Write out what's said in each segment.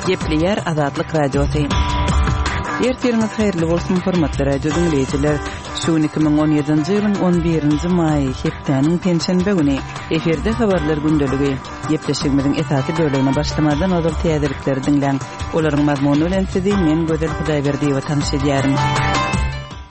Gepleýär Azatlyk Radiosy. Ertiriňiz haýyrly bolsun, hormatly radio diňleýjiler. Şu gün 2017-nji ýylyň 11-nji maýy, hepdäniň penşenbe güni. Efirde habarlar gündeligi. Gepleşigimiziň esasy bölegine başlamazdan ozal täzelikleri diňläň. Olaryň mazmuny bilen sizi men Gözel Hudaýberdiýewa tanyş edýärin.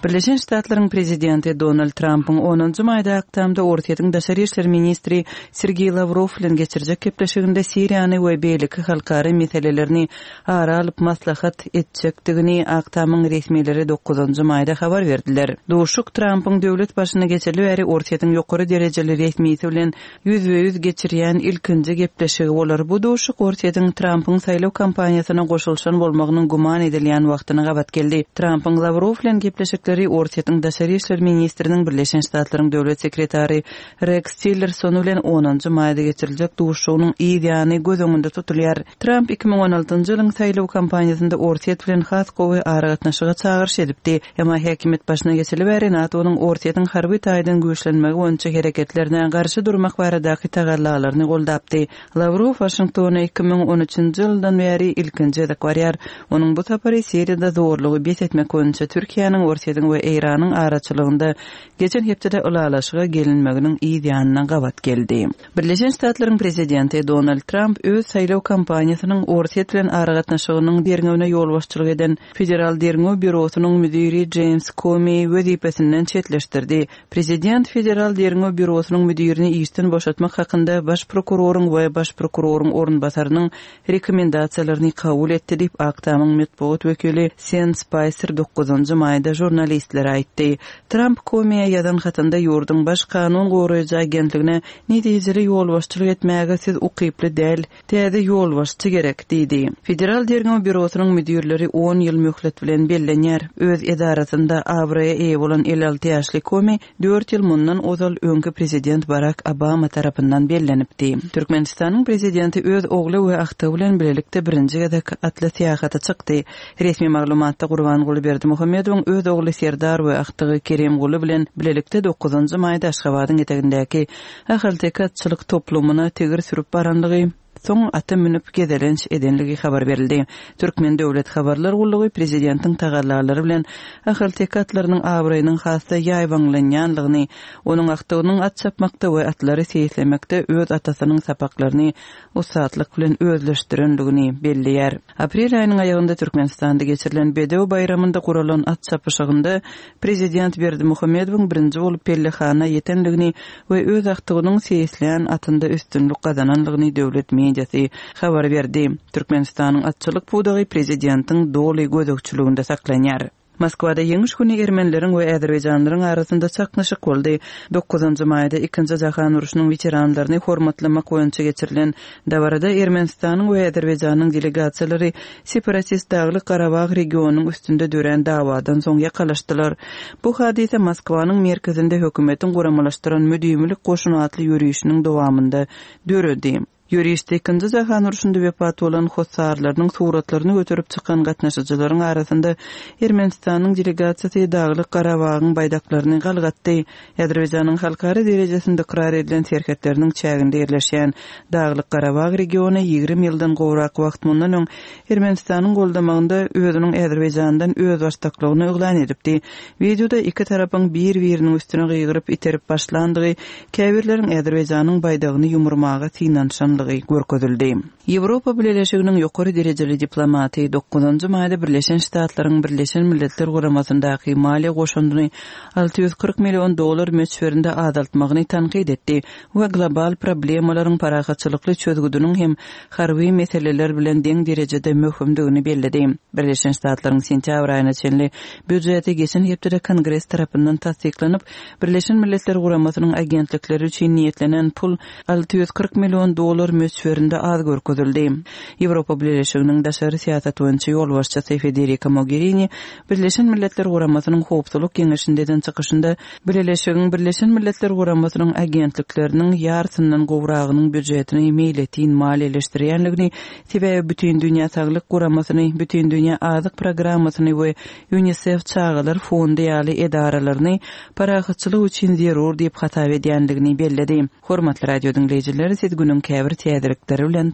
Birleşen Ştatlaryň prezidenti Donald Trampyň onunjy maýda Ak Tamda Orsýetiň daşary işler ministri Sergeý Lawrow bilen geçirjek gepleşiginde Siriýany we beýleki halkara meselelerini ara alyp maslahat etjekdigini Ak Tamyň resmileri dokuzynjy maýda habar berdiler. Duşuşyk Trampyň döwlet başyna geçeli bäri Orsýetiň ýokary derejeli resmisi bilen ýüzbe-ýüz geçirýän ilkinji gepleşigi bolar. Bu duşuşyk Orsýetiň Trampyň saýlaw kampaniýasyna goşulyşan bolmagynyň güman edilýän wagtyna gabat geldi. Trampyň Lawrow bilen gepleşikleri Orsýetiň daşary işler ministriniň Birleşen Ştatlaryň döwlet sekretary Reks Tillerson bilen onunjy maýda geçiriljek duşuşygynyň yz ýany göz öňünde tutulýar. Tramp 2016-njy ýylyň saýlaw kampaniýasynda Orsýet bilen has gowy aragatnaşyga çagyryş edipdi. Emma häkimiýet başyna geçeli bäri NATO-nyň Orsýetiň harby taýdan güýçlenmegi boýunça hereketlerine garşy durmak baradaky tagallalaryny goldapdy. Lawrow Waşingtona 2013-nji ýyldan bäri ilkinji gezek barýar. Onuň bu sapary Siriýada zorlugy bes etmek boýunça Türkiýäniň, Orsýetiň we Eýranyň araçylygynda geçen hepdede ylalaşyga gelinmeginiň yz ýanyna gabat geldi. Birleşen Ştatlaryň prezidenti Donald Tramp öz saýlaw kampaniýasynyň Orsýet bilen aragatnaşygynyň derňewine ýolbaşçylyk eden Federal derňew býurosynyň müdiri Jeýms Komi wezipesinden çetleşdirdi. Prezident Federal derňew býurosynyň müdirini işden boşatmak hakynda baş prokuroryň we baş prokuroryň orunbasarynyň rekomendasiýalaryny kabul etdi diýip, Ak Tamyň metbugat wekili Sen Spaýser dokuzynjy maýda žurnalistlere aýtdy. Tramp Komiýa ýazan hatynda ýurduň baş kanun goraýjy agentligine netijeli ýolbaşçylyk etmäge siz ukyply däl, täze ýolbaşçy gerek diýdi. Federal derňew býurosynyň müdirleri on ýyl möhlet bilen bellenýär. Öz edarasynda abraýa eýe bolan 56 ýaşly Komi dört ýyl mundan ozal öňki prezident Barak Obama tarapyndan bellenipdi. Türkmenistanyň prezidenti öz ogly we agtygy bilen bilelikde birinji gezek atly syýahata çykdy. Resmi maglumatda Gurbanguly Berdimuhamedowyň öz ogly Serdar we agtygy Kerimguly bilen bilelikde dokuzynjy maýda Aşgabadyň etegindäki Ahalteke atçylyk toplumyna tigir sürüp baranlygy, soň ata münüp gezelenç edenligi habar berildi. Türkmen döwlet habarlar gullugy prezidentiň tagallalary bilen ahalteke atlarynyň abraýynyň has-da ýaýbaňlanýanlygyny, onuň agtygynyň at çapmakda we atlary seýislemekde öz atasynyň sapaklaryny ussatlyk bilen özleşdirenligini belleýär. Aprel aýynyň aýagynda Türkmenistanda geçirilen Bedew baýramynda guralan at çapyşygynda prezident Berdimuhamedowyň birinji bolup pellehana ýetenligini we öz agtygynyň seýislän atynda üstünlik gazananlygyny döwlet mediasy habar berdi. Türkmenistanyň atçylyk pudagy prezidentiň doly gözegçiliginde saklanýar. Moskwada Ýeňiş güni ermenileriň we azerbaýjanlylaryň arasynda çaknyşyk boldy. Dokuzynjy maýda Ikinji jahan urşunyň weteranlaryny hormatlamak boýunça geçirilen dabarada Ermenistanyň we Azerbaýjanyň delegasiýalary separatist Daglyk-Garabag regionynyň üstünde dörän dawadan soň ýakalaşdylar. Bu hadysa Moskwanyň merkezinde hökümetiň guramalaşdyran Müdimilik goşuny atly ýörişiniň dowamynda döredi. Ýörişde Ikinji jahan urşunda wepat bolan hossarlarynyň suratlaryny göterip çykan gatnaşyjylaryň arasynda Ermenistanyň delegasiýasy Daglyk-Garabagyň baýdaklaryny galgatdy. Azerbaýjanyň halkara derejesinde ykrar edilen serhetleriniň çäginde ýerleşýän Daglyk-Garabag regiony 20 ýyldan gowrak wagt mundan öň Ermenistanyň goldamagynda özüniň Azerbaýjandan özbaşdaklygyny yglan edipdi. Wideoda iki tarapyň bir-biriniň üstüne gygyryp iterip başlandygy, käbirleriň Azerbaýjanyň baýdagyny ýumurmaga synanyşanlygy görkezildi. Ýewropa Bileleşiginiň ýokary derejeli diplomaty dokuzynjy maýda Birleşen Ştatlaryň Birleşen Milletler Guramasyndaky maliýe goşundyny 640 million dollar möçberinde azaltmagyny tankyt etdi we global problemalaryň parahatçylykly çözgüdiniň hem harby meseleler bilen deň derejede möhümdigini belledi. Birleşen Ştatlaryň sentýabr aýyna çenli býujeti geçen hepdede Kongres tarapyndan tassyklanyp, Birleşen Milletler Guramasynyň agentlikleri üçin niýetlenen pul 640 million dollar möçberinde az görkezildi. Ýewropa Bileleşiginiň daşary syýasat boýunça ýolbaşçysy Federika Mogerini Birleşen Milletler Guramasynyň Howpsuzlyk Geňeşinde eden çykyşynda Bileleşigiň Birleşen Milletler Guramasynyň agentlikleriniň ýarysyndan gowragynyň býujetini meýletin maliýeleşdirýändigini, sebäbi Bütindünýä Saglyk Guramasyny, Bütindünýä Azyk Programmasyny we Ýunisef çagalar fondy ýaly edaralaryny parahatçylyk üçin zerur diýip hasap edýändigini belledi. Hormatly radio diňleýjiler, siz günüň käbir täzelikleri bilen.